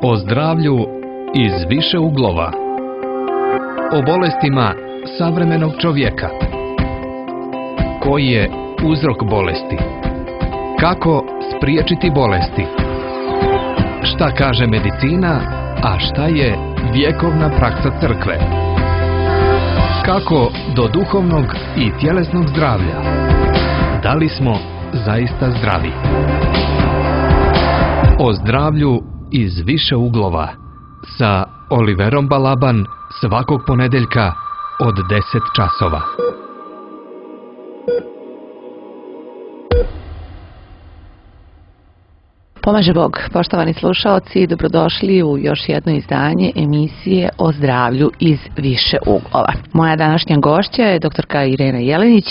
O zdravlju iz više uglova. O bolestima savremenog čovjeka. Koji je uzrok bolesti? Kako spriječiti bolesti? Šta kaže medicina, a šta je vjekovna praksa crkve? Kako do duhovnog i tjelesnog zdravlja? Da li smo zaista zdravi? O zdravlju iz više uglova sa Oliverom Balaban svakog ponedeljka od 10 časova. Pomaže Bog, poštovani slušaoci, dobrodošli u još jedno izdanje emisije o zdravlju iz više uglova. Moja današnja gošća je doktorka Irena Jelenić,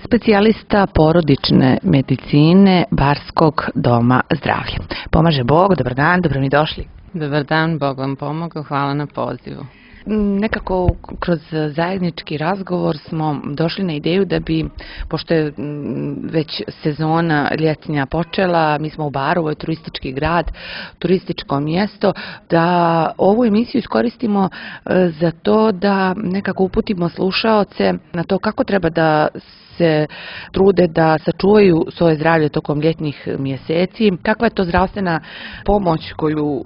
specijalista porodične medicine Barskog doma zdravlja. Pomaže Bog, dobar dan, dobro mi došli. Dobar dan, Bog vam pomogao, hvala na pozivu. Nekako kroz zajednički razgovor smo došli na ideju da bi, pošto je već sezona ljetnja počela, mi smo u Baru, ovo je turistički grad, turističko mjesto, da ovu emisiju iskoristimo za to da nekako uputimo slušaoce na to kako treba da se trude da sačuvaju svoje zdravlje tokom ljetnih mjeseci. Kakva je to zdravstvena pomoć koju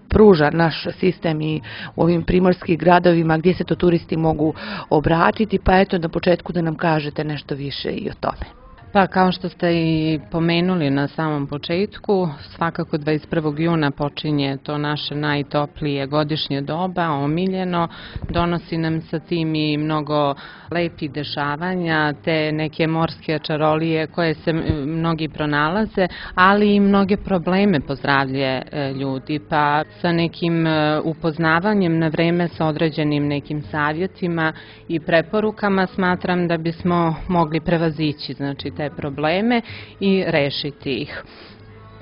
pruža naš sistem i u ovim primorskim gradovima gdje se to turisti mogu obratiti, pa na početku da nam kažete nešto više i o tome. Pa kao što ste i pomenuli na samom početku, svakako 21. juna počinje to naše najtoplije godišnje doba, omiljeno, donosi nam sa tim i mnogo lepih dešavanja, te neke morske čarolije koje se mnogi pronalaze, ali i mnoge probleme po zdravlje ljudi, pa sa nekim upoznavanjem na vreme sa određenim nekim savjetima i preporukama smatram da bismo mogli prevazići, znači te probleme i rešiti ih.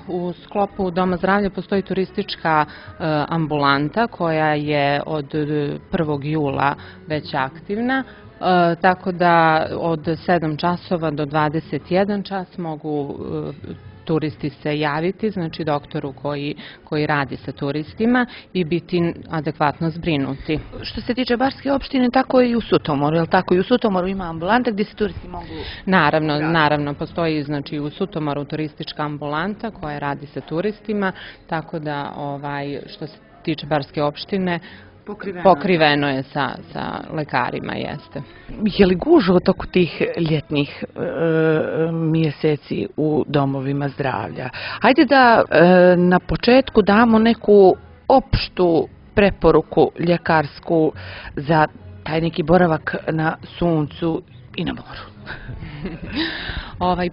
U sklopu Doma zdravlja postoji turistička ambulanta koja je od 1. jula već aktivna, tako da od 7 časova do 21 čas mogu turisti se javiti, znači doktoru koji radi sa turistima i biti adekvatno zbrinuti. Što se tiče Barske opštine, tako i u Sutomoru, je li tako? I u Sutomoru ima ambulanta gdje se turisti mogu... Naravno, postoji znači u Sutomoru turistička ambulanta koja radi sa turistima, tako da što se tiče Barske opštine, pokriveno je sa lekarima, jeste. Je li gužva toku tih ljetnih mjeseci u domovima zdravlja? Hajde da na početku damo neku opštu preporuku ljekarsku za taj neki boravak na suncu i na moru.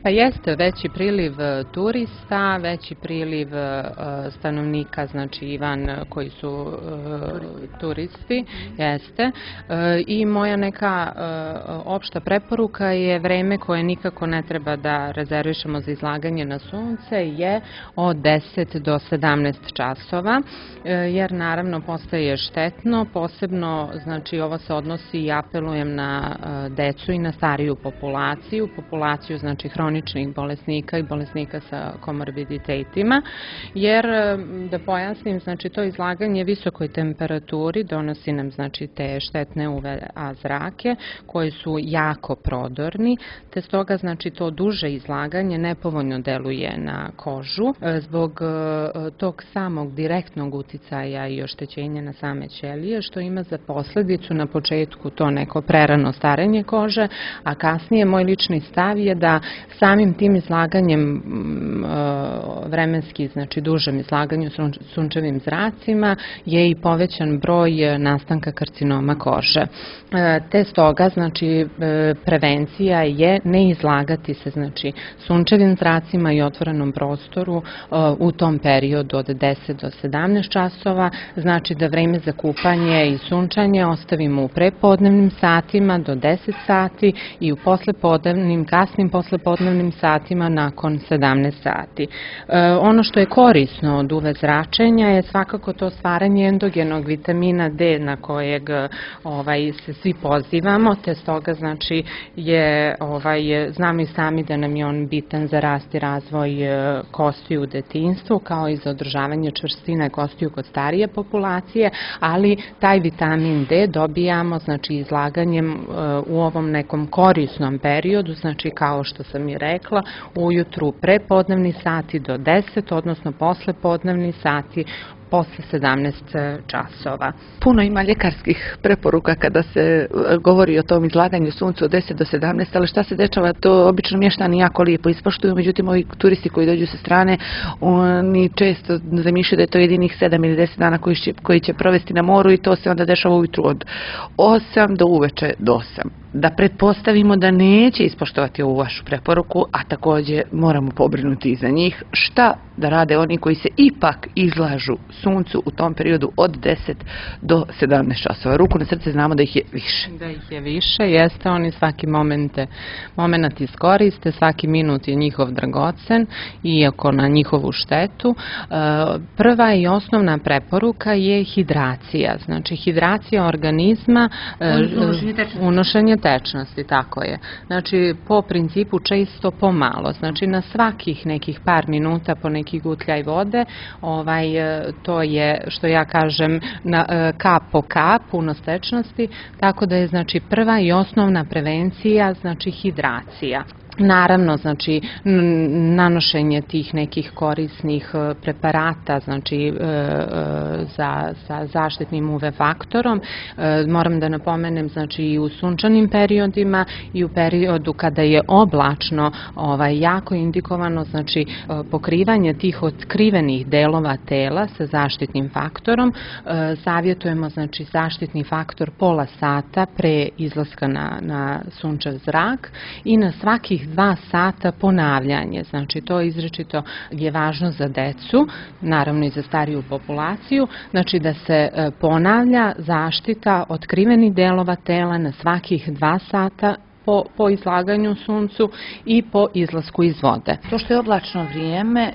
Pa jeste veći priliv turista, veći priliv stanovnika, znači koji su turisti, jeste. I moja neka opšta preporuka je vreme koje nikako ne treba da rezervišemo za izlaganje na sunce je od 10 do 17 časova, jer naravno postaje štetno, posebno, znači ovo se odnosi i apelujem na decu i na stariju populaciju znači hroničnih bolesnika i bolesnika sa komorbiditetima, jer da pojasnim, znači to izlaganje visokoj temperaturi donosi nam znači te štetne UV-A zrake koji su jako prodorni, te stoga znači to duže izlaganje nepovoljno deluje na kožu zbog tog samog direktnog uticaja i oštećenja na same ćelije, što ima za posledicu na početku to neko prerano starenje kože, a kasnije moj lični stav je da samim tim izlaganjem vremenski, znači dužem izlaganju sunčevim zracima je i povećan broj nastanka karcinoma kože. Te stoga, znači prevencija je ne izlagati se, znači sunčevim zracima i otvorenom prostoru u tom periodu od 10 do 17 časova, znači da vreme za kupanje i sunčanje ostavimo u prepodnevnim satima do 10 sati i u kasnim poslepodnevnim satima nakon 17 sati. Ono što je korisno od UV zračenja je svakako to stvaranje endogenog vitamina D na kojeg se svi pozivamo, te stoga znači znamo i sami da nam je on bitan za rast i razvoj kostiju u detinjstvu, kao i za održavanje čvrstine kostiju kod starije populacije, ali taj vitamin D dobijamo znači izlaganjem u ovom nekom korisnom periodu, znači kao što sam i rekla, ujutru prepodnevni sati do 10, odnosno poslepodnevni sati posle 17 časova. Puno ima ljekarskih preporuka kada se govori o tom izlaganju suncu od 10 do 17, ali šta se dešava, to obično mještani jako lijepo ispoštuju, međutim ovi turisti koji dođu sa strane, oni često zamišljaju da je to jedinih 7 ili 10 dana koji će provesti na moru i to se onda dešava ujutru od 8 do uveče do 8. Da pretpostavimo da neće ispoštovati ovu vašu preporuku, a također moramo pobrinuti i za njih, šta da rade oni koji se ipak izlažu suncu u tom periodu od 10 do 17 časova. Ruku na srce, znamo da ih je više. Da ih je više, jeste, oni svaki moment iskoriste, svaki minut je njihov dragocen, iako na njihovu štetu. Prva i osnovna preporuka je hidracija, znači hidracija organizma, unošenje tečnosti, tako je. Znači, po principu često pomalo, znači na svakih nekih par minuta po neki gutljaj vode, to je, što ja kažem, kap po kap, unos tečnosti, tako da je znači prva i osnovna prevencija, znači hidracija. Naravno, znači, nanošenje tih nekih korisnih preparata, znači, sa zaštitnim UV faktorom. Moram da napomenem, znači, i u sunčanim periodima i u periodu kada je oblačno, jako indikovano, znači, pokrivanje tih otkrivenih delova tela sa zaštitnim faktorom. Savjetujemo, znači, zaštitni faktor pola sata pre izlaska na sunčev zrak i na svakih 2 sata ponavljanje. Znači, to izričito je važno za decu, naravno i za stariju populaciju, znači da se ponavlja zaštita otkrivenih delova tela na svakih 2 sata po izlaganju suncu i po izlasku iz vode. To što je oblačno vrijeme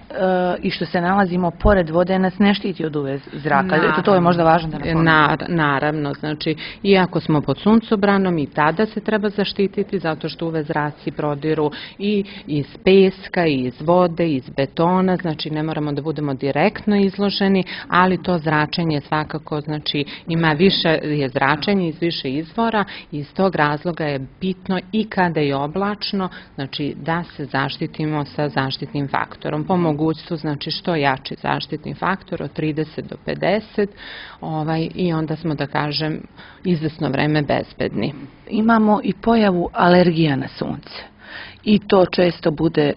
i što se nalazimo pored vode nas ne štiti od UV zraka. To je možda važno da napomenem. Naravno, znači, iako smo pod suncobranom i tada se treba zaštititi zato što UV zraci prodiru i iz peska, i iz vode, i iz betona, znači ne moramo da budemo direktno izloženi, ali to zračenje svakako, znači, ima više, je zračenje iz više izvora i iz tog razloga je bitno i kada je oblačno, znači da se zaštitimo sa zaštitnim faktorom. Po mogućstvu, znači što jači zaštitni faktor od 30 do 50 i onda smo, da kažem, izvesno vreme bezbedni. Imamo i pojavu alergija na sunce i to često bude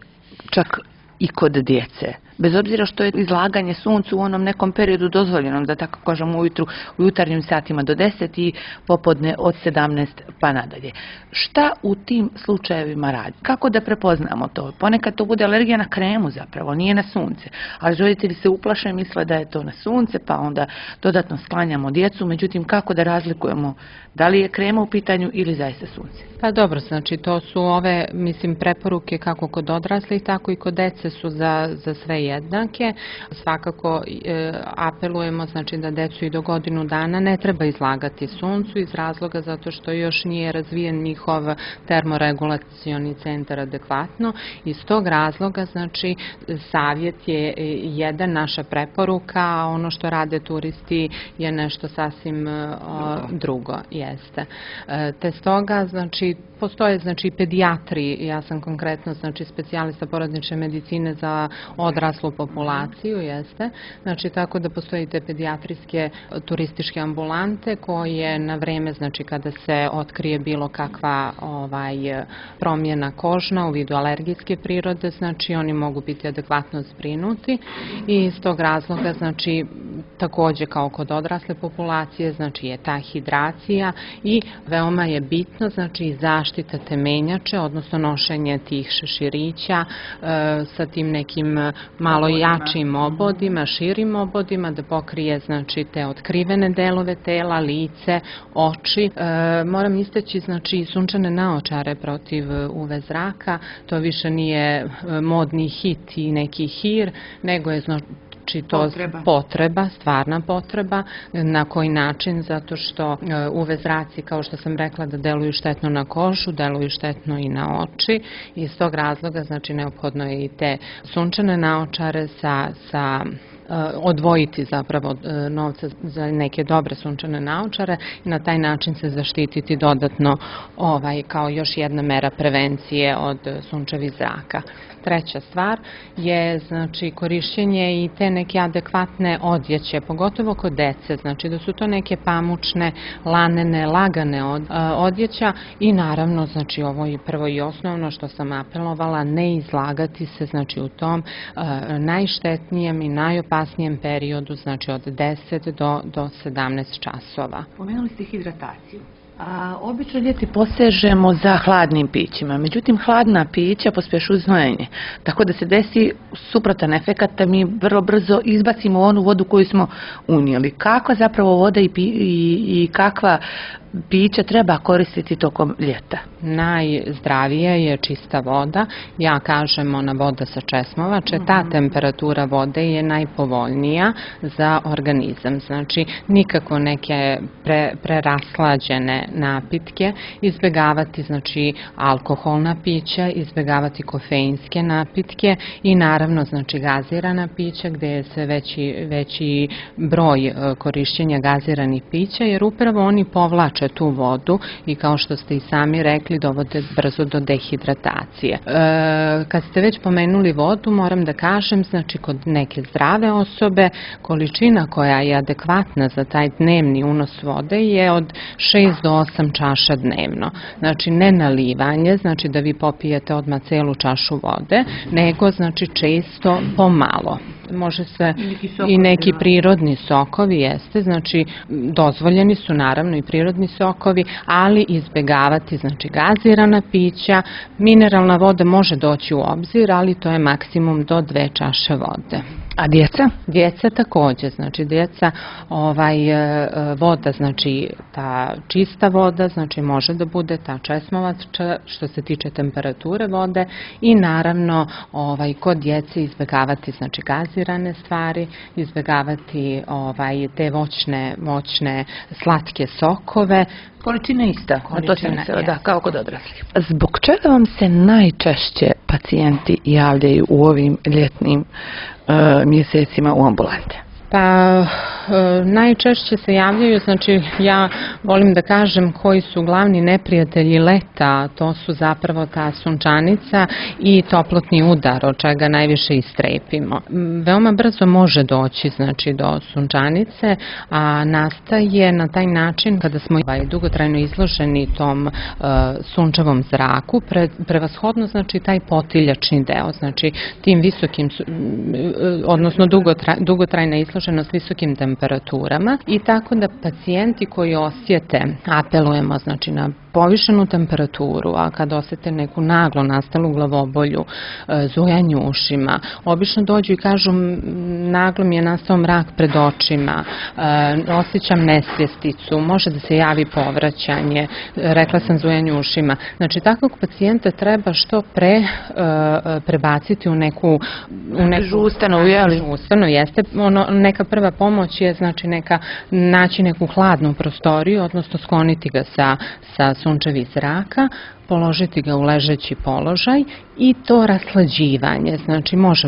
čak i kod djece. Bez obzira što je izlaganje suncu u onom nekom periodu dozvoljenom, da tako kažemo ujutru, u jutarnjim satima do 10 i popodne od 17 pa nadalje. Šta u tim slučajevima radi? Kako da prepoznamo to? Ponekad to bude alergija na kremu zapravo, nije na sunce. Ali roditelji se uplaše, misle da je to na sunce, pa onda dodatno sklanjamo djecu. Međutim, kako da razlikujemo da li je krema u pitanju ili zaista sunce? Pa dobro, znači to su ove, mislim, preporuke kako kod odraslih, tako i kod dece su za sve jednake. Svakako apelujemo, znači, da decu i do godinu dana ne treba izlagati suncu iz razloga zato što još nije razvijen njihov termoregulacioni centar adekvatno. Iz tog razloga, znači, savjet je jedan, naša preporuka, a ono što rade turisti je nešto sasvim drugo, jeste. Te stoga, znači, postoje, znači, pedijatri, ja sam konkretno, znači, specijalista porodnične medicine za odraslu populaciju, jeste. Znači, tako da postoje te pedijatrijske turističke ambulante koje na vreme, znači, kada se otkrije bilo kakva promjena kožna u vidu alergijske prirode, znači, oni mogu biti adekvatno zbrinuti i iz tog razloga, znači, takođe kao kod odrasle populacije, znači je ta hidracija i veoma je bitno, znači zaštita temenjače, odnosno nošenje tih šeširića sa tim nekim malo jačim obodima, širim obodima, da pokrije znači te otkrivene delove tela, lice, oči. Moram istaći znači sunčane naočare protiv UV zraka, to više nije modni hit i neki hir, nego je znači to potreba, stvarna potreba. Na koji način? Zato što UV zraci, kao što sam rekla, da deluju štetno na kožu, deluju štetno i na oči. Iz tog razloga znači neophodno je i te sunčane naočare odvojiti zapravo novca za neke dobre sunčane naočare i na taj način se zaštititi dodatno kao još jedna mera prevencije od sunčevih zraka. Treća stvar je znači korišćenje i te neke adekvatne odjeće, pogotovo kod dece, znači da su to neke pamučne, lanene, lagane odjeća i naravno znači ovo je prvo i osnovno što sam apelovala, ne izlagati se znači u tom najštetnijem i najopasnijem periodu, znači od 10 do 17 časova. Pomenuli ste hidrataciju. Obično ljeti posežemo za hladnim pićima, međutim hladna pića pospješuju znojenje, tako da se desi suprotan efekat da mi vrlo brzo izbacimo onu vodu koju smo unijeli. Kakva zapravo voda i kakva pića treba koristiti tokom ljeta? Najzdravije je čista voda, ja kažem ona voda sa česmovače, ta temperatura vode je najpovoljnija za organizam, znači nikako neke preraslađene napitke, izbjegavati znači alkoholna pića, izbjegavati kofeinske napitke i naravno znači gazirana pića gdje je sve veći broj korišćenja gaziranih pića, jer upravo oni povlače tu vodu i kao što ste i sami rekli dovode brzo do dehidratacije. Kad ste već pomenuli vodu, moram da kažem, znači kod neke zdrave osobe količina koja je adekvatna za taj dnevni unos vode je od 6 do 8 čaša dnevno. Znači ne nalivanje, znači da vi popijete odmah celu čašu vode, nego znači često pomalo. Može se i neki prirodni sokovi, jeste, znači dozvoljeni su naravno i prirodni sokovi, ali izbjegavati znači gazirana pića, mineralna voda može doći u obzir, ali to je maksimum do 2 čaše vode. A djeca? Djeca također, znači djeca voda, znači ta čista voda, znači može da bude ta česmovača što se tiče temperature vode i naravno kod djece izbjegavati znači gazirane stvari, izbjegavati te voćne slatke sokove. Količina ista, da, kao kod odraslih. Zbog čega vam se najčešće pacijenti javljaju u ovim ljetnim mjesecima u ambulante? Pa najčešće se javljaju, znači ja volim da kažem koji su glavni neprijatelji leta, to su zapravo ta sunčanica i toplotni udar, od čega najviše istrepimo. Veoma brzo može doći znači do sunčanice, a nastaje na taj način kada smo dugotrajno izloženi tom sunčevom zraku, prevashodno znači taj potiljačni deo, znači tim visokim, odnosno dugotrajna izloženost visokim temperaturama i tako da pacijenti koji osjete, apelujemo znači na povišenu temperaturu, a kad osjete neku naglo nastalu glavobolju, zujanje u ušima, obično dođu i kažu naglo mi je nastao mrak pred očima, osjećam nesvjesticu, može da se javi povraćanje, rekla sam zujanje u ušima. Znači takvog pacijenta treba što pre prebaciti u neku žustanu, jeste, neka prva pomoć je znači naći neku hladnu prostoriju, odnosno skloniti ga sa sunčevih zraka, položiti ga u ležeći položaj i to raslađivanje, znači može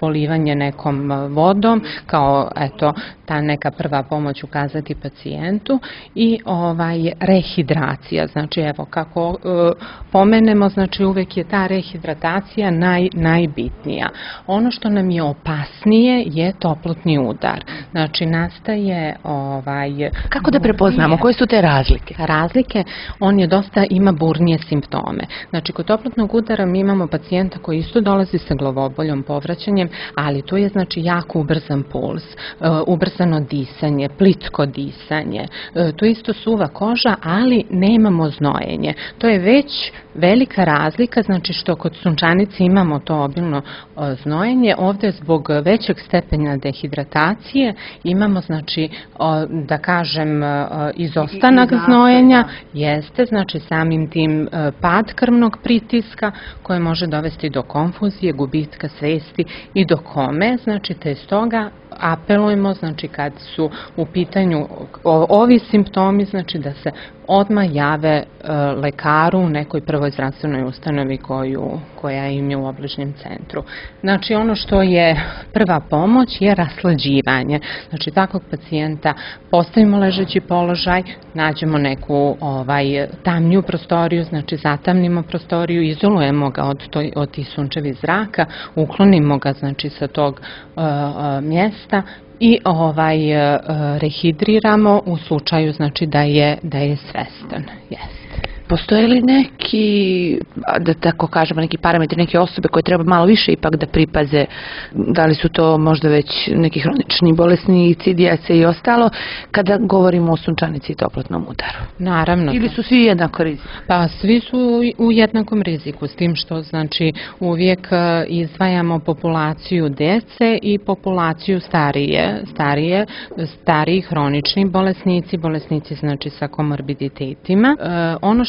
polivanje nekom vodom kao eto ta neka prva pomoć ukazati pacijentu i rehidracija, znači evo kako pomenemo, znači uvek je ta rehidratacija najbitnija. Ono što nam je opasnije je toplotni udar, znači nastaje Kako da prepoznamo, koje su te razlike? Razlike, on on je dosta ima burnije simptome. Znači, kod toplotnog udara mi imamo pacijenta koji isto dolazi sa glavoboljom, povraćanjem, ali tu je znači jako ubrzan puls, ubrzano disanje, plitko disanje, tu je isto suva koža, ali nemamo znojenje. To je već velika razlika, znači što kod sunčanice imamo to obilno znojenje, ovdje zbog većeg stepena dehidratacije imamo, znači, da kažem, izostanak znojenja, jeste, znači samim tim pad krvnog pritiska koje može dovesti do konfuzije, gubitka svesti i do kome, znači te stoga apelujemo, znači kad su u pitanju ovi simptomi, znači da se odmah jave lekaru u nekoj prvoj zdravstvenoj ustanovi koja im je u obližnjem centru. Znači ono što je prva pomoć je raslađivanje. Znači takvog pacijenta postavimo ležeći položaj, nađemo neku tamniju prostoriju, znači zatamnimo prostoriju, izolujemo ga od tih sunčevih zraka, uklonimo ga znači sa tog mjesta i rehidriramo u slučaju znači da je svestan. Jeste. Postoje li neki, da tako kažemo, neki parametri, neke osobe koje treba malo više ipak da pripaze, da li su to možda već neki hronični bolesnici, djece i ostalo, kada govorimo o sunčanici i toplotnom udaru? Naravno. Ili su svi jednako riziku? Pa svi su u jednakom riziku, s tim što znači uvijek izdvajamo populaciju djece i populaciju stariji hronični bolesnici znači sa komorbiditetima. Ono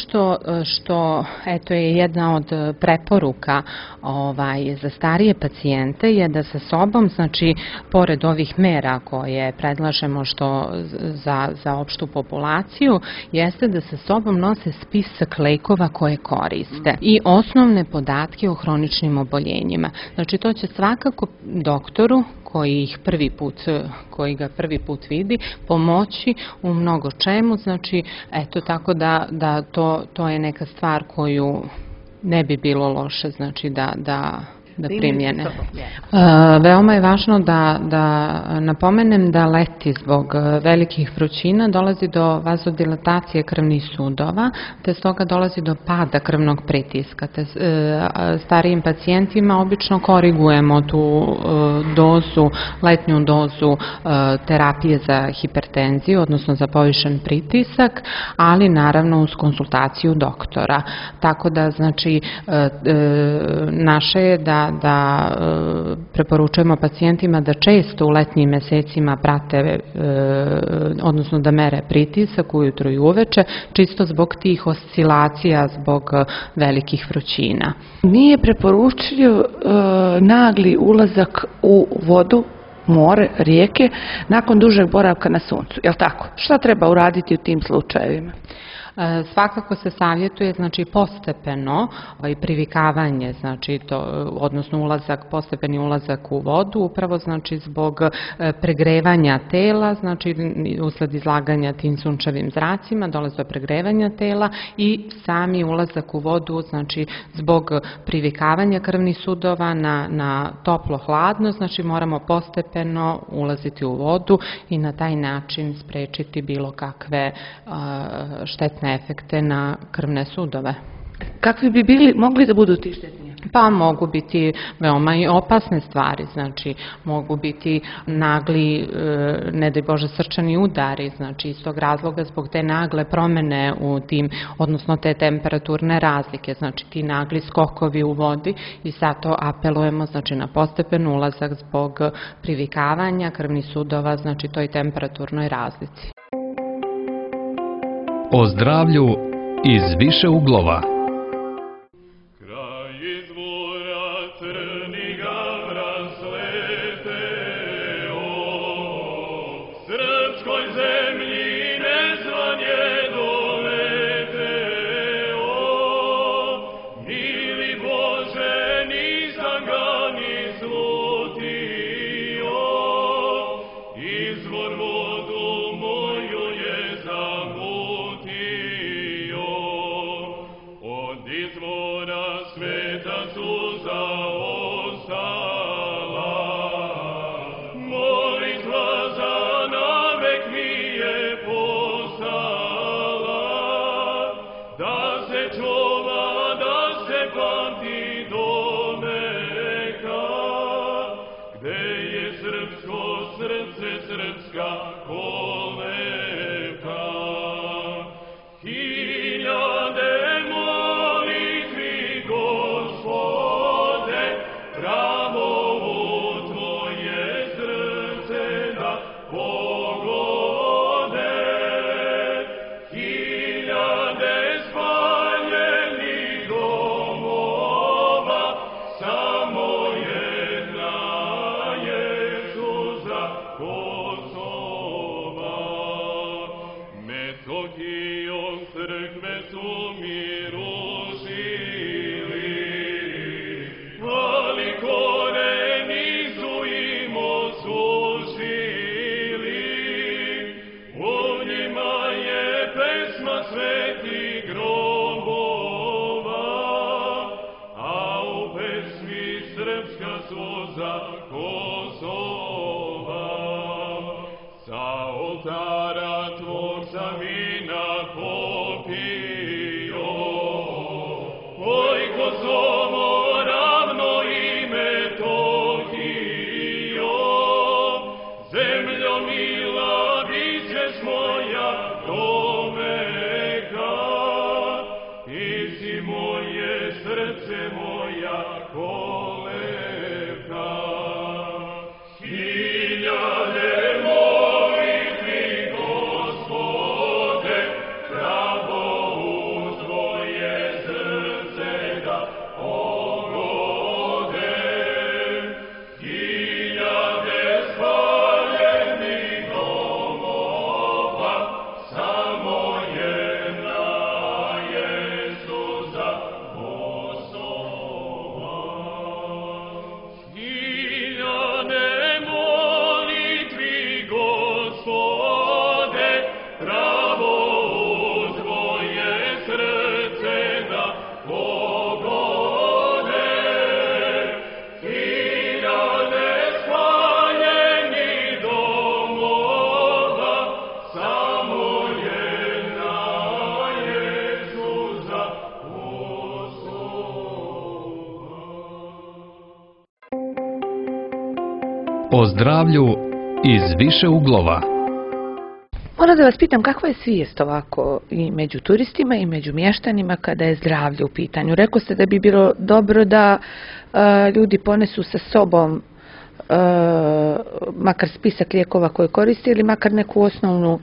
što eto je jedna od preporuka za starije pacijente je da sa sobom, znači pored ovih mera koje predlažemo za opštu populaciju, jeste da sa sobom nose spisak lekova koje koriste i osnovne podatke o hroničnim oboljenjima. Znači to će svakako doktoru koji ga prvi put vidi, pomoći u mnogo čemu, znači eto tako da to je neka stvar koju ne bi bilo loše znači da primjene. Veoma je važno da napomenem da leti zbog velikih vrućina dolazi do vazodilatacije krvnih sudova, te stoga dolazi do pada krvnog pritiska. Te starijim pacijentima obično korigujemo tu letnju dozu terapije za hipertenziju, odnosno za povišen pritisak, ali naravno uz konsultaciju doktora. Tako da znači naše je da preporučujemo pacijentima da često u letnjim mesecima prate, odnosno da mere pritisak ujutro i uveče, čisto zbog tih oscilacija, zbog velikih vrućina. Nije preporučljiv nagli ulazak u vodu, more, rijeke, nakon dužeg boravka na suncu, je li tako? Šta treba uraditi u tim slučajevima? Svakako se savjetuje znači postepeno privikavanje, znači odnosno postepeni ulazak u vodu, upravo znači zbog pregrevanja tela, znači usled izlaganja tim sunčevim zracima dolazi do pregrevanja tela i sami ulazak u vodu znači zbog privikavanja krvnih sudova na toplo-hladno, znači moramo postepeno ulaziti u vodu i na taj način sprečiti bilo kakve štetne efekte na krvne sudove. Kakvi bi mogli da budu ti štetni? Pa mogu biti veoma i opasne stvari, znači mogu biti nagli, ne daj Bože, srčani udari, znači iz tog razloga zbog te nagle promene u tim, odnosno te temperaturne razlike, znači ti nagli skokovi u vodi i zato apelujemo znači na postepen ulazak zbog privikavanja krvnih sudova, znači toj temperaturnoj razlici. O zdravlju iz više uglova. Molitva za navek mi srce srpska kolevka. Hiljade molitvi, Gospode, pravo u Tvoje srce da pogode. Hiljade spaljenih domova, samo jedna je suza Kosova. Metodijom crkve su mi rušili, ali koreni su im osušili. U njima je pesma svetih grobova, a u pesmi srpska suza Kosova. Sa oltara tvog sam vina popio, oj Kosovo, ravno i Metohijo. Zemljo mila, bit ćeš moja domeka, ti si moje srce, moja kolevka. Hiljade molitvi, Gospode, pravo u Tvoje srce da pogode. Hiljade spaljenih domova, samo jedna je suza Kosova. Hiljade molitvi, Gospode, pravo u Tvoje srce da pogode. Hiljade spaljenih domova, samo jedna je suza Kosova. O zdravlju iz više uglova. Moram da vas pitam kakva je svijest ovako i među turistima i među mještanima kada je zdravlje u pitanju. Rekao ste da bi bilo dobro da ljudi ponesu sa sobom makar spisak lijekova koje koriste ili makar neku osnovnu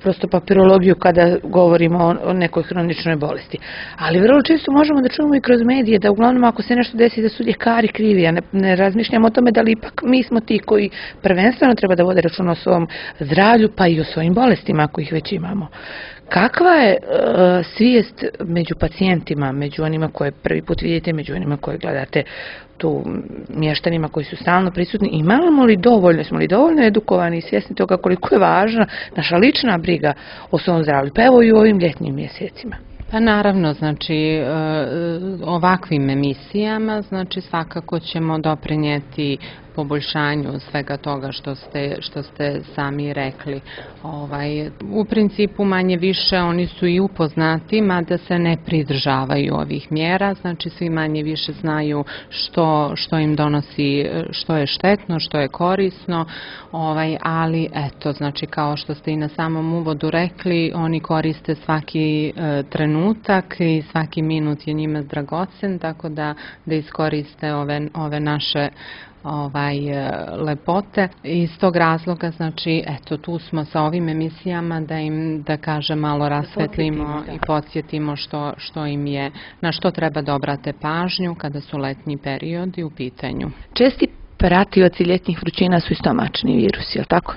prosto papirologiju kada govorimo o nekoj hroničnoj bolesti. Ali vrlo često možemo da čujemo i kroz medije da uglavnom ako se nešto desi da su ljekari krivi, a ne razmišljamo o tome da li ipak mi smo ti koji prvenstveno treba da vode računa o svom zdravlju pa i o svojim bolestima ako ih već imamo. Kakva je svijest među pacijentima, među onima koje prvi put vidite, među onima koje gledate tu mještanima koji su stalno prisutni? Imamo li dovoljno, smo li dovoljno edukovani i svjesni toga koliko je važna naša lična briga o svom zdravlju? Pa evo i u ovim ljetnim mjesecima. Pa naravno, znači ovakvim emisijama, znači svakako ćemo doprinijeti poboljšanju svega toga što ste sami rekli. U principu manje više oni su i upoznati, mada se ne pridržavaju ovih mjera, znači svi manje više znaju što im donosi, što je štetno, što je korisno, ali eto, znači kao što ste i na samom uvodu rekli, oni koriste svaki trenutak i svaki minut je njima dragocen, tako da iskoriste ove naše lepote. Iz tog razloga, znači, eto, tu smo sa ovim emisijama da im, da kažem, malo rasvetlimo i podsjetimo što im je, na što treba da obrate pažnju kada su letnji periodi u pitanju. Česti pratioci ljetnih vrućina su i stomačni virusi, je li tako?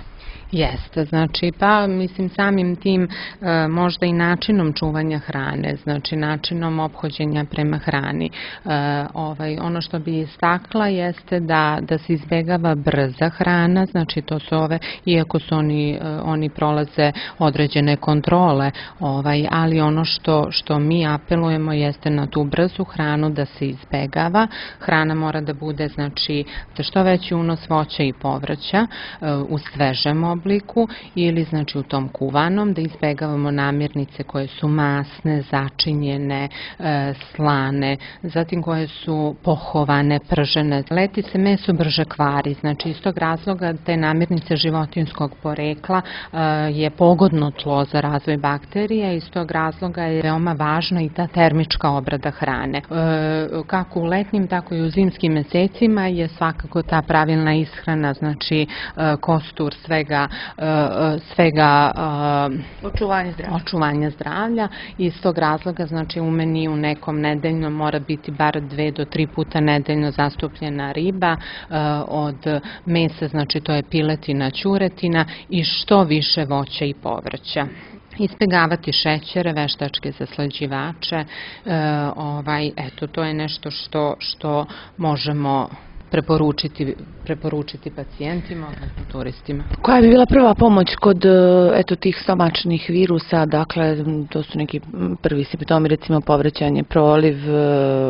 Jeste, znači pa mislim samim tim možda i načinom čuvanja hrane, znači načinom ophođenja prema hrani. Ono što bi istakla jeste da se izbjegava brza hrana, znači to su iako su oni prolaze određene kontrole, ali ono što mi apelujemo jeste na tu brzu hranu da se izbjegava. Hrana mora da bude, znači, što veći unos voća i povrća u svežem obliku, obliku ili znači u tom kuvanom, da izbegavamo namirnice koje su masne, začinjene, slane, zatim koje su pohovane, pržene. Leti se meso brže kvari, znači iz tog razloga te namirnice životinjskog porekla je pogodno tlo za razvoj bakterija, iz tog razloga je veoma važna i ta termička obrada hrane. Kako u letnjim, tako i u zimskim mesecima je svakako ta pravilna ishrana, znači kostur svega očuvanja zdravlja. Iz tog razloga, znači u meniju nekom nedeljno mora biti bar 2 do 3 puta nedeljno zastupljena riba, od mesa, znači to je piletina, ćuretina i što više voća i povrća. Izbjegavati šećere, veštačke zaslađivače, eto, to je nešto što možemo preporučiti pacijentima, odnosno turistima. Koja bi bila prva pomoć kod tih stomačnih virusa, dakle to su neki prvi simptomi, recimo povraćanje, proliv,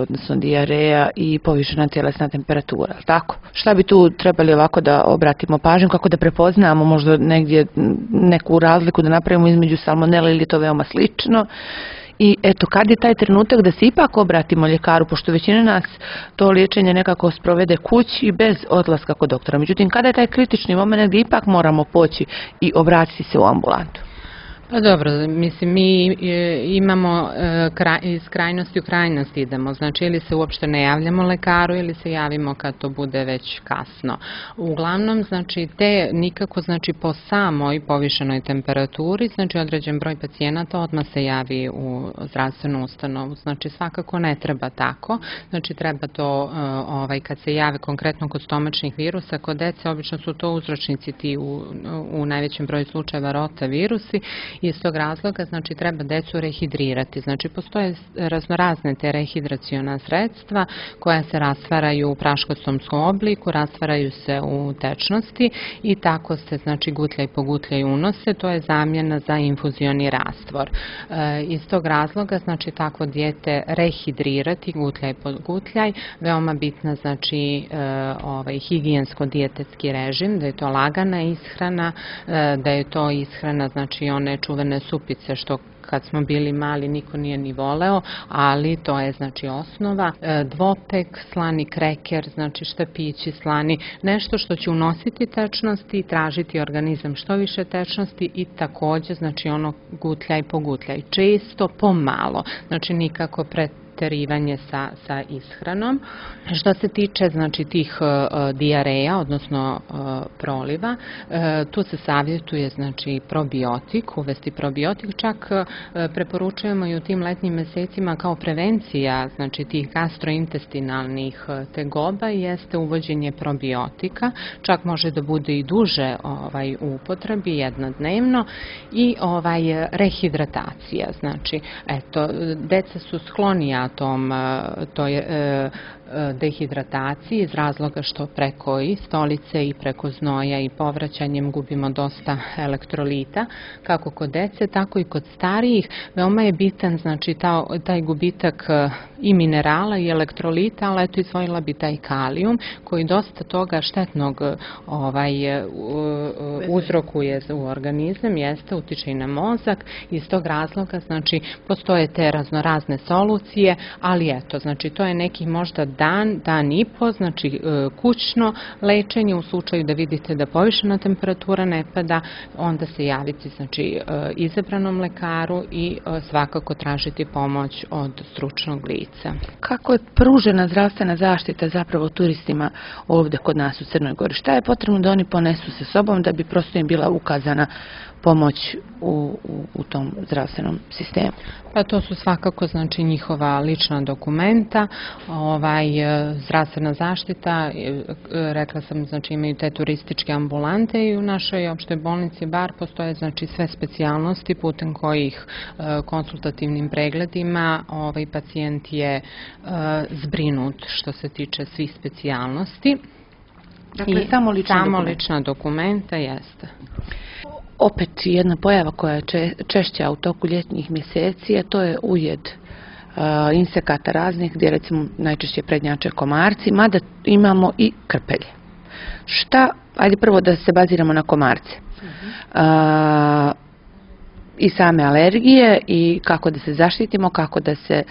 odnosno dijareja i povišena tjelesna temperatura, tako? Šta bi tu trebali ovako da obratimo pažnju, kako da prepoznamo možda negdje neku razliku da napravimo između salmonele ili je to veoma slično? I eto, kad je taj trenutak da se ipak obratimo ljekaru, pošto većina nas to liječenje nekako sprovede kući bez odlaska kod doktora. Međutim, kada je taj kritični moment gdje ipak moramo poći i obratiti se u ambulantu? Pa dobro, mislim, mi imamo iz krajnosti u krajnost idemo, znači ili se uopšte ne javljamo lekaru ili se javimo kad to bude već kasno. Uglavnom, znači, nikako, znači, po samoj povišenoj temperaturi, znači, određen broj pacijenata odmah se javi u zdravstvenu ustanovu, znači, svakako ne treba tako, znači, treba to, kad se jave konkretno kod stomačnih virusa, kod dece, obično su to uzročnici ti u najvećem broju slučajeva rotavirusi. Iz tog razloga, znači, treba decu rehidrirati. Znači, postoje raznorazne te rehidraciona sredstva koja se rastvaraju u praškostomskom obliku, rastvaraju se u tečnosti i tako se, znači, gutljaj po gutljaj unose. To je zamjena za infuzioni rastvor. Iz tog razloga, znači, takvo dijete rehidrirati gutljaj po gutljaj. Veoma bitna, znači, higijensko-dijetetski režim, da je to lagana ishrana, da je to ishrana, znači, one čuvene supice što kad smo bili mali niko nije ni voleo, ali to je, znači, osnova. Dvopek, slani kreker, znači štapići slani, nešto što će unositi tečnosti i tražiti organizam što više tečnosti i također, znači, ono gutljaj po gutljaj. Često pomalo, znači nikako preterivanje sa ishranom. Što se tiče, znači, tih dijareja, odnosno proliva, tu se savjetuje, znači, probiotik, uvesti probiotik, čak preporučujemo i u tim letnjim mesecima kao prevencija, znači, tih gastrointestinalnih tegoba jeste uvođenje probiotika, čak može da bude i duže u upotrebi, jednodnevno, i rehidratacija, znači, eto, deca su sklonija toj dehidrataciji iz razloga što preko i stolice i preko znoja i povraćanjem gubimo dosta elektrolita, kako kod dece, tako i kod starijih. Veoma je bitan, znači, taj gubitak i minerala i elektrolita, ali eto, izdvojila bi taj kalijum koji dosta toga štetnog uzrokuje u organizam, utiče i na mozak. Iz tog razloga, znači, postoje te raznorazne solucije, ali eto, znači, to je neki možda dan i po, znači, kućno lečenje u slučaju da vidite da povišena temperatura ne pada, onda se javiti, znači, izabranom lekaru i svakako tražiti pomoć od stručnog lica. Kako je pružena zdravstvena zaštita zapravo turistima ovdje kod nas u Crnoj Gori? Šta je potrebno da oni ponesu sa sobom da bi prosto im bila ukazana pomoć u tom zdravstvenom sistemu? Pa to su svakako, znači, njihova lična dokumenta, zdravstvena zaštita, rekla sam, znači, imaju te turističke ambulante i u našoj opštoj bolnici Bar postoje, znači, sve specijalnosti putem kojih konsultativnim pregledima pacijent je zbrinut što se tiče svih specijalnosti. Dakle, samo lična dokumenta, jeste. Opet jedna pojava koja je češća u toku ljetnih mjeseci, a to je ujed insekata raznih, gdje recimo najčešće prednjače komarci, mada imamo i krpelje. Ajde prvo da se baziramo na komarce. I same alergije i kako da se zaštitimo, kako da se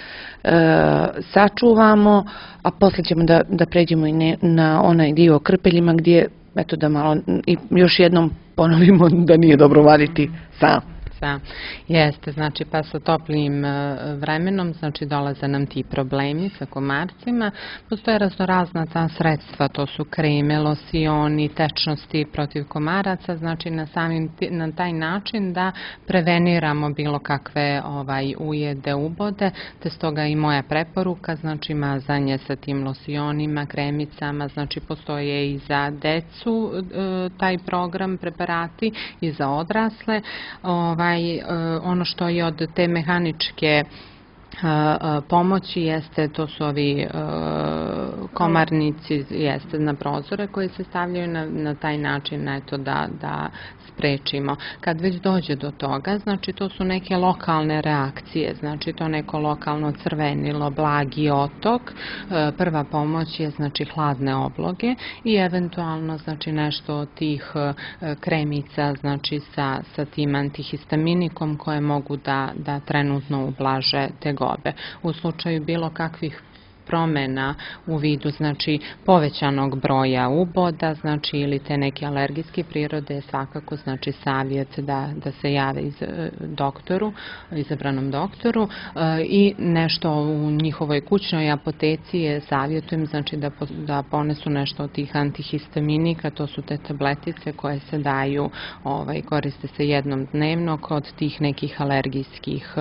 sačuvamo, a poslije ćemo da pređemo i na onaj dio o krpeljima gdje, eto da malo i još jednom ponovimo da nije dobro vaditi sam. Jeste, znači pa sa toplim vremenom znači dolaze nam ti problemi sa komarcima. Postoje raznorazna ta sredstva, to su kreme, losioni, tečnosti protiv komaraca, znači na taj način da preveniramo bilo kakve ujede, ubode, te stoga i moja preporuka, znači mazanje sa tim losionima, kremicama, znači postoje i za decu taj program, preparati i za odrasle. Ono što je od te mehaničke pomoći jeste, to su ovi komarnici na prozore koji se stavljaju na taj način, eto da sprečimo. Kad već dođe do toga, znači to su neke lokalne reakcije, znači to neko lokalno crvenilo, blagi otok, prva pomoć je znači hladne obloge i eventualno znači nešto od tih kremica znači sa tim antihistaminikom koje mogu da trenutno ublaže tegobe. U slučaju bilo kakvih promjena u vidu znači povećanog broja uboda, znači ili te neke alergijske prirode, svakako znači savjet da se jave izabranom doktoru i nešto u njihovoj kućnoj apoteci je savjetujem znači da ponesu nešto od tih antihistaminika, to su te tabletice koje se daju, koriste se jednom dnevno kod tih nekih alergijskih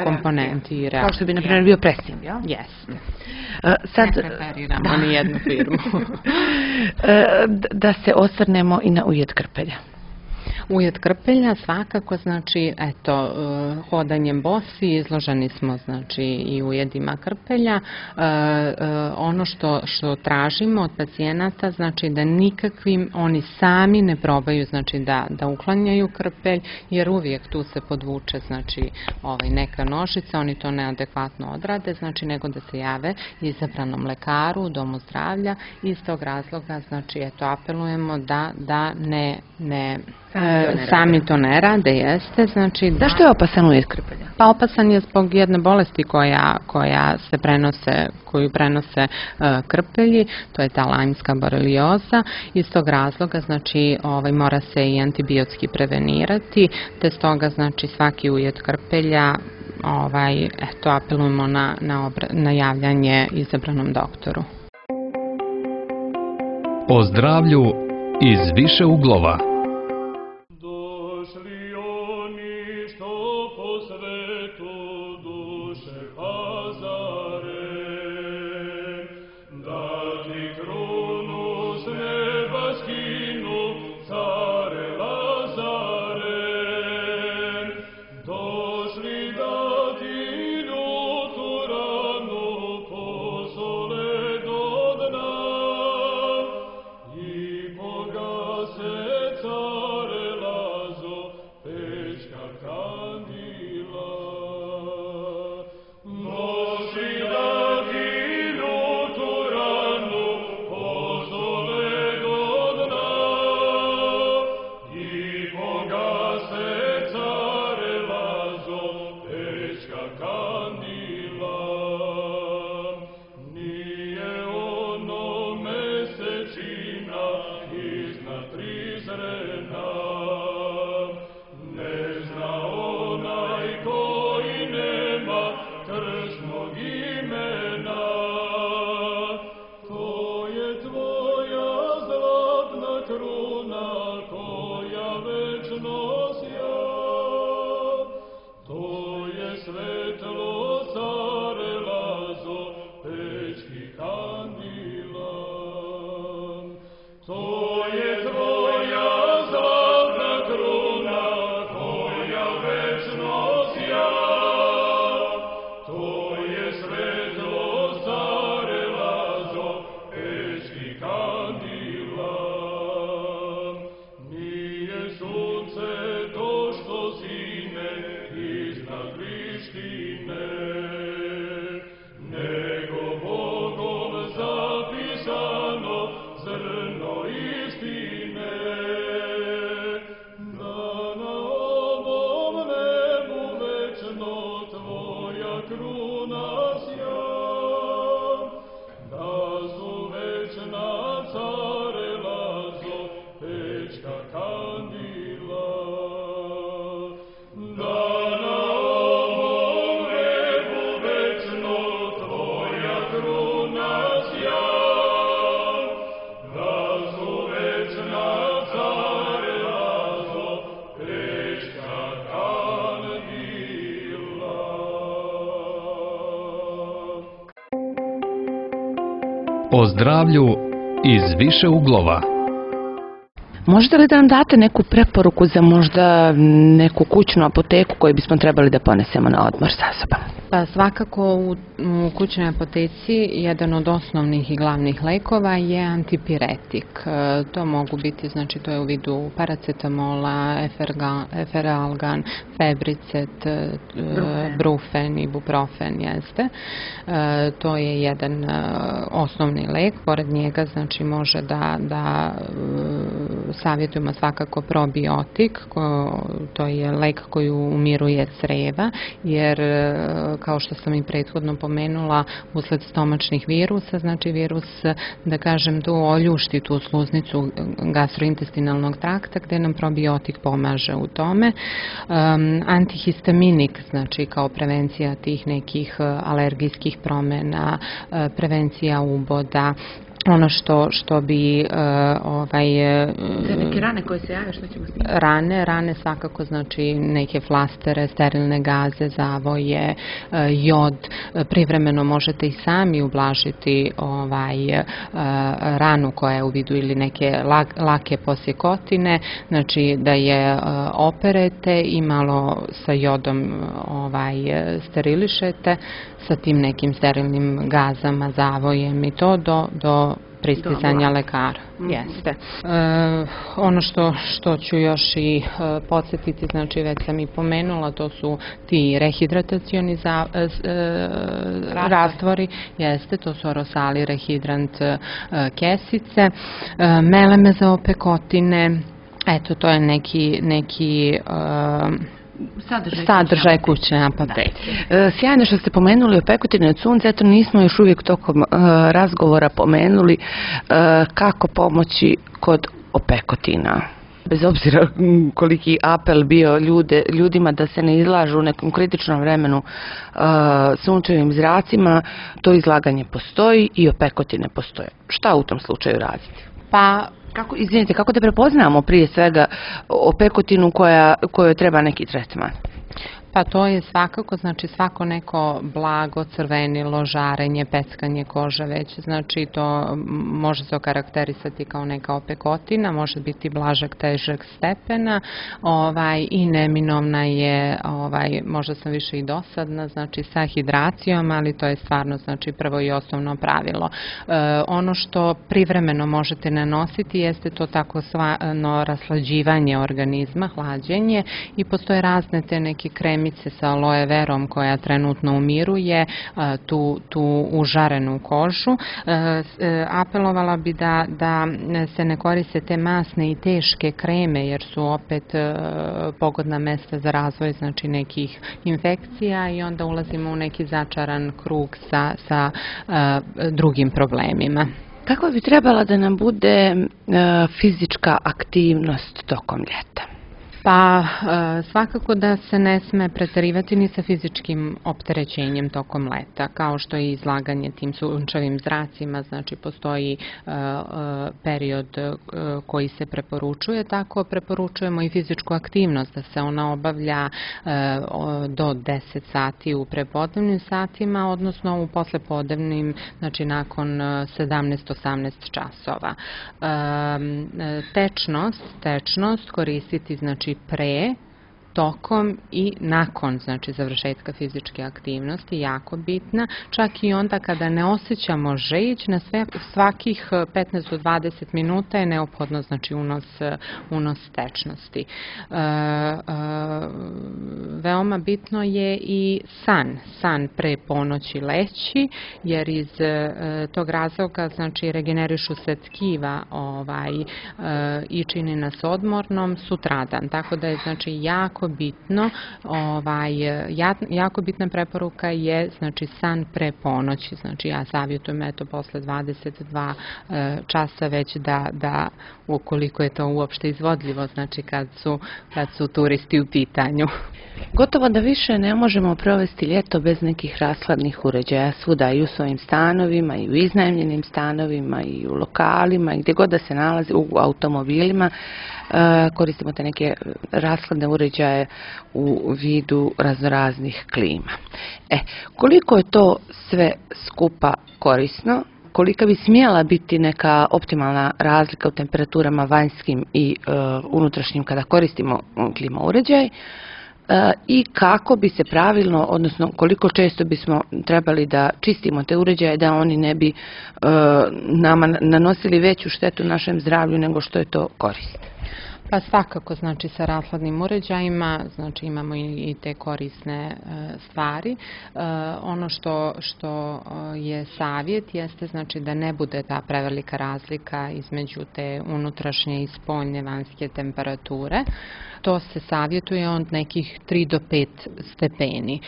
komponenti i reakcija. Kao što bi na primjer bio presim. Jeste. Ne preferiramo ni jednu firmu. Da se osvrnemo i na ujed krpelja. Ujed krpelja svakako, znači, eto, hodanjem bosi izloženi smo, znači, i ujedima krpelja. Ono što tražimo od pacijenata, znači, da nikakvim oni sami ne probaju, znači, da uklanjaju krpelj, jer uvijek tu se podvuče, znači, neka nožica, oni to neadekvatno odrade, znači, nego da se jave izabranom lekaru, domu zdravlja, i iz tog razloga, znači, eto, apelujemo da sami to ne rade, jeste. Znači, zašto je opasan ujed krpelja? Pa opasan je zbog jedne bolesti koju prenose krpelji, to je ta lajmska borelioza. Iz tog razloga, znači, mora se i antibiotski prevenirati, te stoga, znači, svaki ujed krpelja, eto, apelujemo na javljanje izabranom doktoru. O zdravlju iz više uglova. Nego Bogom zapisano O zdravlju iz više uglova. Možete li da nam date neku preporuku za možda neku kućnu apoteku koju bismo trebali da ponesemo na odmor sa sobom? Pa svakako u kućnoj apoteci jedan od osnovnih i glavnih lekova je antipiretik. To mogu biti, znači to je u vidu paracetamola, eferalgan, febricet, brufen, ibuprofen, jeste. To je jedan osnovni lek, pored njega znači može da savjetujemo svakako probiotik, to je lek koji umiruje creva, jer kao što sam i prethodno pomenula, usled stomačnih virusa, znači virus, da kažem, tu oljušti tu sluznicu gastrointestinalnog trakta, gde nam probiotik pomaže u tome. Antihistaminik, znači kao prevencija tih nekih alergijskih promjena, prevencija uboda, ono što bi za neke rane koje se jave, što ćemo s njim? Rane svakako, znači neke flastere, sterilne gaze, zavoje, jod, privremeno možete i sami ublažiti ranu koja je u vidu ili neke lake posjekotine, znači da je operete i malo sa jodom sterilišete sa tim nekim sterilnim gazama, zavojem i to do pristizanja lekara. Jeste. Ono što ću još i podsjetiti, znači već sam i pomenula, to su ti rehidratacioni rastvori, jeste, to su orosali, rehidrant, kesice, meleme za opekotine, eto to je neki sadržaj kućne apoteke. Sjajno što ste pomenuli opekotine od sunca, eto nismo još uvijek tokom razgovora pomenuli kako pomoći kod opekotina. Bez obzira koliki apel bio ljudima da se ne izlažu u nekom kritičnom vremenu sunčevim zracima, to izlaganje postoji i opekotine postoje. Šta u tom slučaju raditi? Pa kako da prepoznamo prije svega opekotinu kojoj treba neki tretman? Pa to je svakako, znači svako neko blago, crvenilo, žarenje, peckanje kože već, znači to može se okarakterisati kao neka opekotina, može biti blažeg, težeg stepena i neminovna je, možda sam više i dosadna, znači sa hidracijom, ali to je stvarno znači prvo i osnovno pravilo. Ono što privremeno možete nanositi jeste to takozvano raslađivanje organizma, hlađenje, i postoje razne te neke kremice sa aloe verom koja trenutno umiruje tu užarenu kožu. Apelovala bi da se ne koriste te masne i teške kreme, jer su opet pogodna mesta za razvoj znači nekih infekcija i onda ulazimo u neki začaran krug sa drugim problemima. Kako bi trebala da nam bude fizička aktivnost tokom ljeta? Pa svakako da se ne sme preterivati ni sa fizičkim opterećenjem tokom leta, kao što je izlaganje tim sunčevim zracima, znači postoji period koji se preporučuje, tako preporučujemo i fizičku aktivnost, da se ona obavlja do 10 sati u prepodnevnim satima, odnosno u poslepodnevnim, znači nakon 17-18 časova. Tečnost koristiti znači pre, tokom i nakon znači završetka fizičke aktivnosti, jako bitna, čak i onda kada ne osjećamo žeđ, na svakih 15 do 20 minuta je neophodno znači unos tečnosti. Veoma bitno je i san pre ponoći leći, jer iz tog razloga znači regenerišu se tkiva i čini nas odmornom sutradan, tako da je znači jako bitno, jako bitna preporuka je znači san pre ponoći, znači ja savjetujem eto posle 22 časa već da ukoliko je to uopšte izvodljivo, znači kad su turisti u pitanju. Gotovo da više ne možemo provesti ljeto bez nekih rashladnih uređaja svuda, i u svojim stanovima, i u iznajmljenim stanovima, i u lokalima, i gdje god da se nalazi, u automobilima. Koristimo te neke rashladne uređaje u vidu raznoraznih klima. Koliko je to sve skupa korisno kolika bi smjela biti neka optimalna razlika u temperaturama vanjskim i unutrašnjim kada koristimo klima uređaj i kako bi se pravilno, odnosno koliko često bismo trebali da čistimo te uređaje da oni ne bi nama nanosili veću štetu našem zdravlju nego što je to korist. Pa svakako, znači sa rashladnim uređajima, znači imamo i te korisne stvari. Ono što je savjet jeste znači da ne bude ta prevelika razlika između te unutrašnje i spoljne vanjske temperature. To se savjetuje od nekih 3 do 5 stepeni.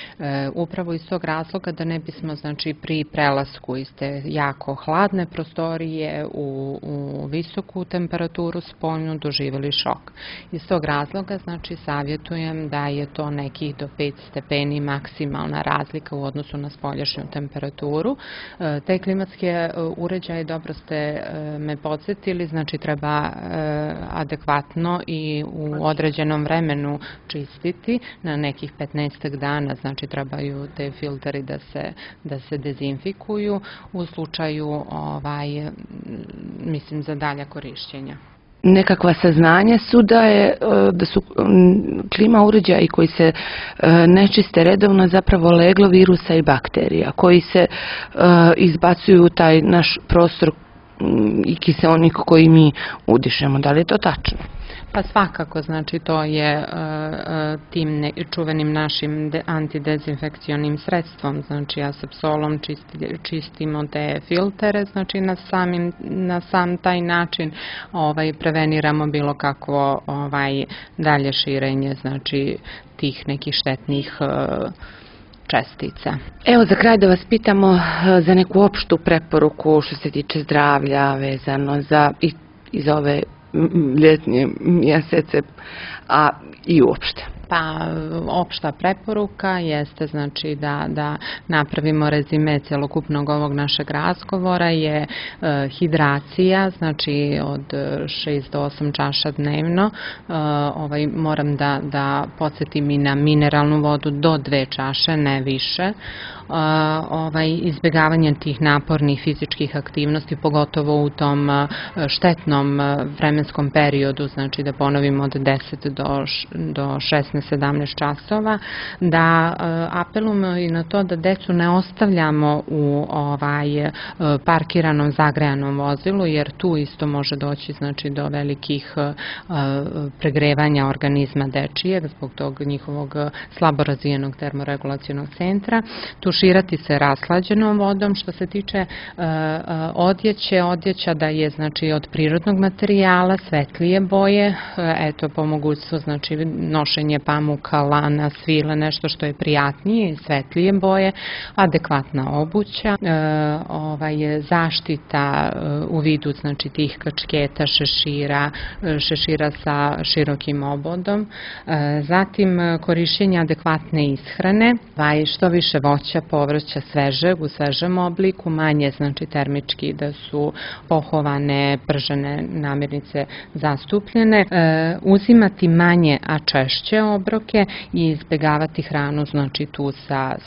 Upravo iz tog razloga da ne bismo znači pri prelasku iz te jako hladne prostorije u visoku temperaturu spoljnu doživjeli šok. Iz tog razloga znači savjetujem da je to nekih do 5 stepeni maksimalna razlika u odnosu na spoljašnju temperaturu. Te klimatske uređaje, dobro ste me podsjetili, znači treba adekvatno i u određenom vremenu čistiti na nekih 15 dana, znači trebaju te filteri da se dezinfikuju u slučaju mislim za dalja korišćenja. Nekakva saznanja su da su klima uređaji koji se ne čiste redovno zapravo leglo virusa i bakterija koji se izbacuju u taj naš prostor i kiseonik koji mi udišemo. Da li je to tačno? Pa svakako, znači to je tim čuvenim našim antidezinfekcionim sredstvom, znači asepsolom čistimo te filtere, znači na sam taj način preveniramo bilo kakvo dalje širenje, znači tih nekih štetnih čestica. Evo za kraj da vas pitamo za neku opštu preporuku što se tiče zdravlja vezano za ove ljetnje mjesece, a i uopšte. Pa opšta preporuka jeste znači da napravimo rezime celokupnog ovog našeg razgovora je hidracija, znači od 6 do 8 čaša dnevno. Moram da podsjetim i na mineralnu vodu do 2 čaše, ne više. Izbjegavanje tih napornih fizičkih aktivnosti, pogotovo u tom štetnom vremenskom periodu, znači da ponovimo od 10 do 16-17 časova, da apelujemo i na to da decu ne ostavljamo u parkiranom zagrejanom vozilu, jer tu isto može doći znači do velikih pregrevanja organizma dečijeg zbog tog njihovog slabo razvijenog termoregulacionog centra. Tuširati se rashlađenom vodom. Što se tiče odjeća da je znači od prirodnog materijala, svetlije boje, eto po mogućstvu znači nošenje pamuka, lana, svile, nešto što je prijatnije i svetlije boje, adekvatna obuća, zaštita u vidu znači tih kačketa, šešira sa širokim obodom, zatim korišćenje adekvatne ishrane, što više voća, povrća svežeg u svežem obliku, manje znači termički da su pohovane, pržene namirnice zastupljene, uzimati manje a češće obroke i izbjegavati hranu znači tu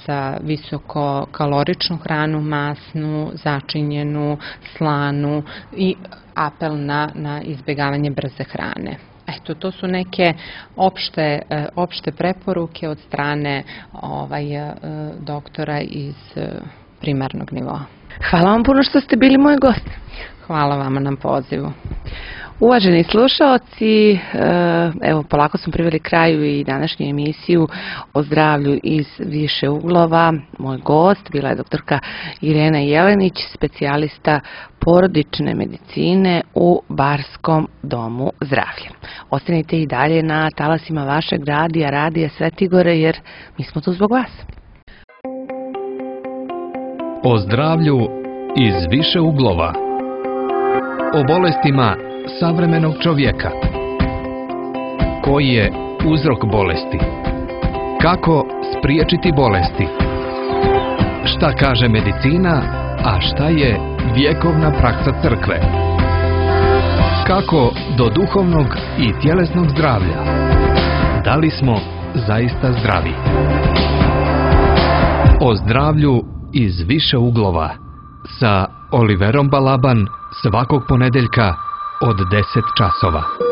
sa visokokaloričnu hranu, masnu, začinjenu, slanu i apel na izbjegavanje brze hrane. Eto, to su neke opšte preporuke od strane doktora iz primarnog nivoa. Hvala vam puno što ste bili moj gost. Hvala vama na pozivu. Uvaženi slušaoci, evo polako smo priveli kraju i današnju emisiju o zdravlju iz više uglova. Moj gost bila je doktorka Irena Jelenić, specijalista porodične medicine u Barskom domu zdravlja. Ostanite i dalje na talasima vašeg radija Svetigore, jer mi smo tu zbog vas. O zdravlju iz više uglova. O bolestima savremenog čovjeka. Koji je uzrok bolesti? Kako spriječiti bolesti? Šta kaže medicina, a šta je vjekovna praksa crkve? Kako do duhovnog i tjelesnog zdravlja? Da li smo zaista zdravi? O zdravlju iz više uglova sa Oliverom Balaban svakog ponedeljka od 10 časova.